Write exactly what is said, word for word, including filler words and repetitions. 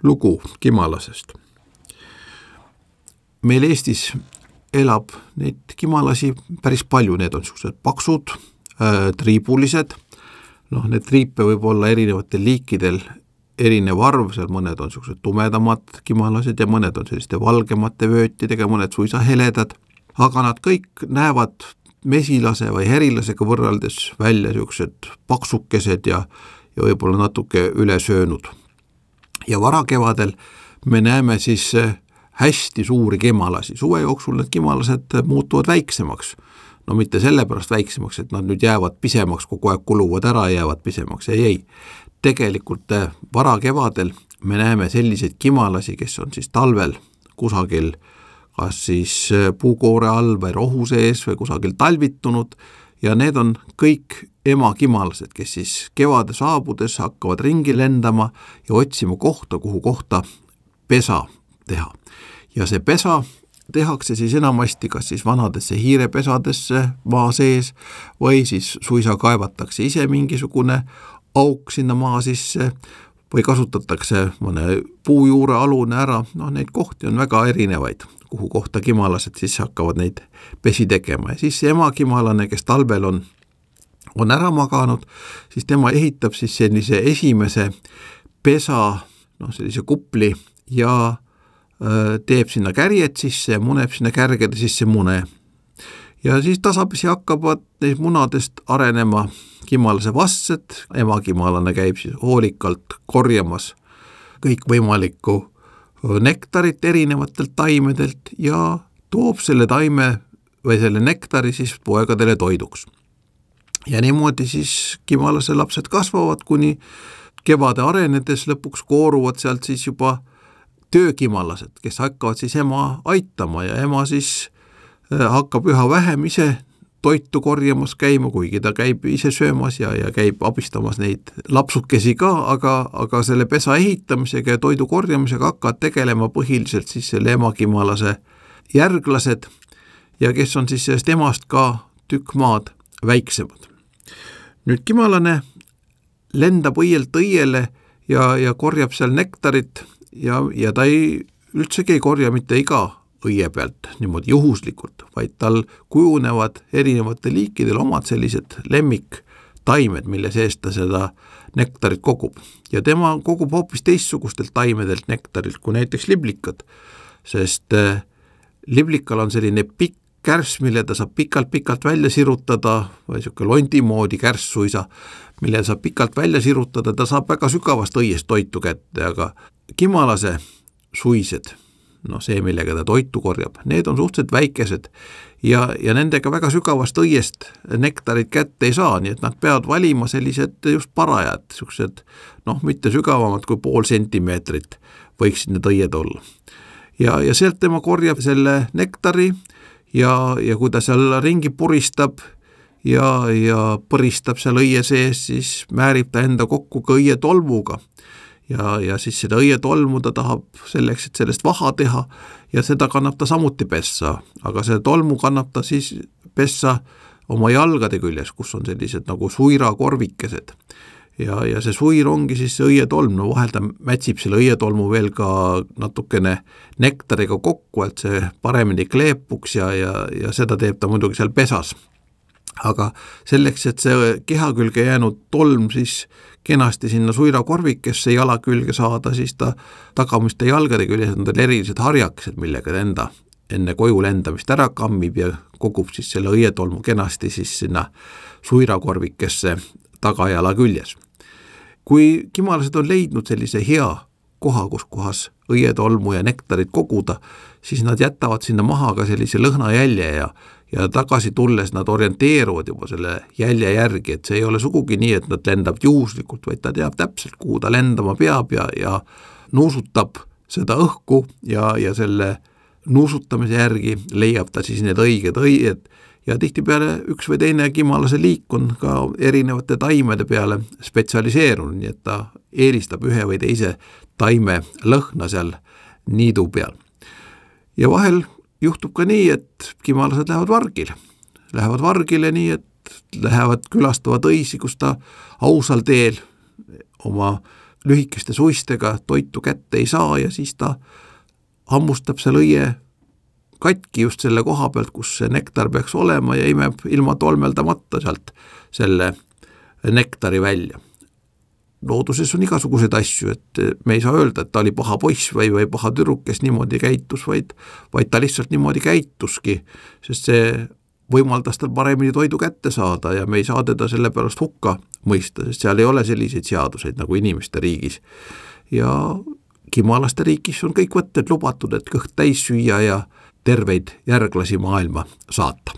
lugu kimalasest. Meil Eestis elab neid kimalasi päris palju, need on sellised paksud, äh, triibulised, noh, need triipe võib olla erinevatel liikidel erinev arv, seal mõned on sellised tumedamad kimalased ja mõned on selliste valgemate vöötidega, mõned suisa heledad, aga nad kõik näevad mesilase või herilasega võrreldes välja sellised paksukesed ja, ja võib-olla natuke üle söönud. Ja varakevadel me näeme siis hästi suuri kimalasi. Suve jooksul need kimalased muutuvad väiksemaks. No mitte sellepärast väiksemaks, et nad nüüd jäävad pisemaks, kogu aeg kuluvad ära ja jäävad pisemaks. Ei, ei. Tegelikult varakevadel me näeme selliseid kimalasi, kes on siis talvel kusagil kas siis puukoore all või rohu sees või kusagil talvitunud ja need on kõik emakimalased, kes siis kevade saabudes hakkavad ringi lendama ja otsima kohta, kuhu kohta pesa teha. Ja see pesa tehakse siis enamasti kas siis vanadesse hiirepesadesse maa sees või siis suisa kaevatakse ise mingisugune auk sinna maa sisse või kasutatakse mõne puujuure alune ära. No neid kohti on väga erinevaid, kuhu kohta kimalased siis hakkavad neid pesi tegema. Ja siis see emakimalane, kes talvel on, on ära maganud, siis tema ehitab siis sellise esimese pesa, no sellise kupli ja teeb sinna kärjed sisse ja muneb sinna kärgede sisse mune. Ja siis tasapisi hakkavad neist munadest arenema kimalase vastsed, emakimalane käib siis hoolikalt korjamas kõik võimalikku nektarit erinevatelt taimedelt ja toob selle taime või selle nektari siis poegadele toiduks. Ja niimoodi siis kimalase lapsed kasvavad, kuni kevade arenedes lõpuks kooruvad sealt siis juba töökimalased, kes hakkavad siis ema aitama ja ema siis hakkab üha vähem ise toitu korjamas käima, kuigi ta käib ise söömas ja, ja käib abistamas neid lapsukesi ka, aga, aga selle pesa ehitamisega ja toidu korjamisega hakkavad tegelema põhiliselt siis selle emakimalase järglased ja kes on siis sellest emast ka tükk maad väiksemad. Nüüd kimalane lendab õielt õiele ja, ja korjab seal nektarit ja, ja ta ei, üldsegi ei korja mitte iga õie pealt niimoodi juhuslikult, vaid tal kujunevad erinevate liikidel omad sellised lemmiktaimed, mille seest ta seda nektarit kogub. Ja tema kogub hoopis teistsugustelt taimedelt nektarit kui näiteks liblikad, sest liblikal on selline pikk kärss, mille ta saab pikalt-pikalt välja sirutada, või selline londi moodi kärss suisa, mille saab pikalt välja sirutada, ta saab väga sügavast õiest toitu kätte, aga kimalase suised, no see, millega ta toitu korjab, need on suhteliselt väikesed ja, ja nendega väga sügavast õiest nektarit kätte ei saa, nii et nad peavad valima sellised just parajad, sellised, noh, mitte sügavamad kui pool sentimeetrit võiksid need õied olla. Ja, ja sealt tema korjab selle nektari ja, ja kui ta seal ringi puristab ja, ja põristab seal õie sees, siis määrib ta enda kokku ka õie tolmuga. Ja, ja siis seda õie tolmu ta tahab selleks, et sellest vaha teha ja seda kannab ta samuti pessa, aga see tolmu kannab ta siis pessa oma jalgade küljes, kus on sellised nagu suirakorvikesed ja, ja see suir ongi siis see õietolm, no vahel ta mätsib selle õietolmu veel ka natukene nektariga kokku, et see paremini kleepuks ja, ja, ja seda teeb ta muidugi seal pesas. Aga selleks, et see keha külge jäänud tolm siis kenasti sinna suirakorvikesse jala külge saada, siis ta tagamiste jalgade küljes on tal erilised harjakesed, millega ta enda enne koju lendamist ära kammib ja kogub siis selle õietolmu kenasti siis sinna suirakorvikesse tagajala küljes. Kui kimalased on leidnud sellise hea koha, kus kohas õietolmu ja nektarit koguda, siis nad jätavad sinna maha ka sellise lõhnajälje ja ja tagasi tulles nad orienteeruvad juba selle jälje järgi, et see ei ole sugugi nii, et nad lendab juhuslikult, vaid ta teab täpselt, kuhu ta lendama peab ja, ja nuusutab seda õhku ja, ja selle nuusutamise järgi leiab ta siis need õiged õied ja tihtipeale üks või teine kimalase liik on ka erinevate taimede peale spetsialiseerunud, nii et ta eelistab ühe või teise taime lõhna seal niidu peal. Ja vahel juhtub ka nii, et kimalased lähevad vargile. Lähevad vargile nii, et lähevad külastavad õisi, kus ta ausal teel oma lühikeste suistega toitu kätte ei saa ja siis ta hammustab seal õie katki just selle koha pealt, kus see nektar peaks olema ja imeb ilma tolmeldamata sealt selle nektari välja. Looduses on igasuguseid asju, et me ei saa öelda, et ta oli paha poiss või, või paha tüdruk, kes niimoodi käitus, vaid, vaid ta lihtsalt niimoodi käituski, sest see võimaldas tal paremini toidu kätte saada ja me ei saa teda selle pärast hukka mõista, sest seal ei ole selliseid seaduseid nagu inimeste riigis. Ja kimalaste riigis on kõik võtted lubatud, et kõht täis süüa ja terveid järglasi maailma saata.